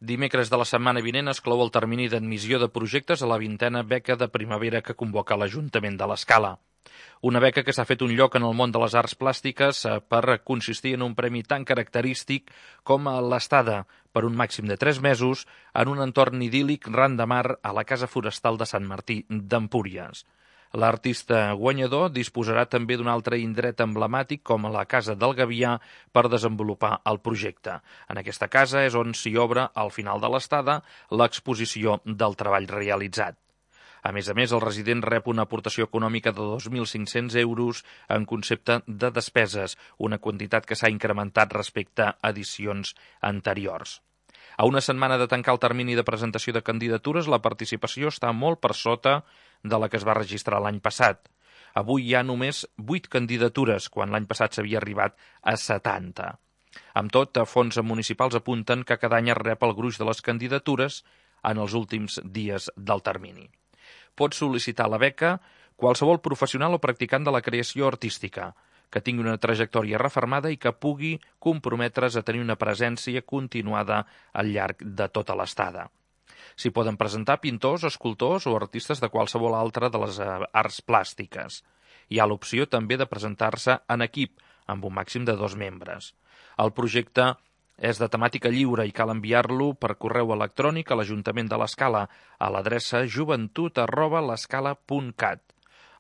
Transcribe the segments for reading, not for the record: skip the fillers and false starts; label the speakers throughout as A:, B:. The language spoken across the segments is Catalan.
A: Dimecres de la setmana vinent es clou el termini d'admissió de projectes a la 20a beca de primavera que convoca l'Ajuntament de l'Escala. Una beca que s'ha fet un lloc en el món de les arts plàstiques per consistir en un premi tan característic com l'estada per un màxim de 3 mesos en un entorn idíl·lic ran de mar a la Casa Forestal de Sant Martí d'Empúries. L'artista guanyador disposarà també d'un altre indret emblemàtic com la Casa del Gavià per desenvolupar el projecte. En aquesta casa és on s'hi obre, al final de l'estada, l'exposició del treball realitzat. A més, el resident rep una aportació econòmica de 2.500 euros en concepte de despeses, una quantitat que s'ha incrementat respecte a edicions anteriors. A una setmana de tancar el termini de presentació de candidatures, la participació està molt per sota de la que es va registrar l'any passat. Avui hi ha només 8 candidatures, quan l'any passat s'havia arribat a 70. Amb tot, fonts municipals apunten que cada any es rep el gruix de les candidatures en els últims dies del termini. Pot sol·licitar la beca qualsevol professional o practicant de la creació artística, que tingui una trajectòria refermada i que pugui comprometre's a tenir una presència continuada al llarg de tota l'estada. S'hi poden presentar pintors, escultors o artistes de qualsevol altra de les arts plàstiques. Hi ha l'opció també de presentar-se en equip, amb un màxim de 2 membres. El projecte és de temàtica lliure i cal enviar-lo per correu electrònic a l'Ajuntament de l'Escala a l'adreça joventut@l'escala.cat.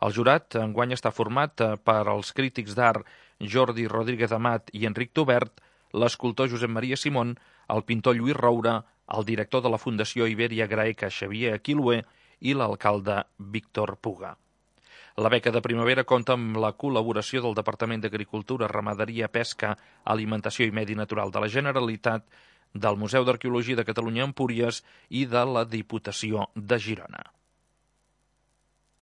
A: El jurat enguany està format per els crítics d'art Jordi Rodríguez Amat i Enric Tobert, l'escultor Josep Maria Simón, el pintor Lluís Roura, el director de la Fundació Ibèria Graeca Xavier Aquilue i l'alcalde Víctor Puga. La beca de primavera compta amb la col·laboració del Departament d'Agricultura, Ramaderia, Pesca, Alimentació i Medi Natural de la Generalitat, del Museu d'Arqueologia de Catalunya a Empúries i de la Diputació de Girona.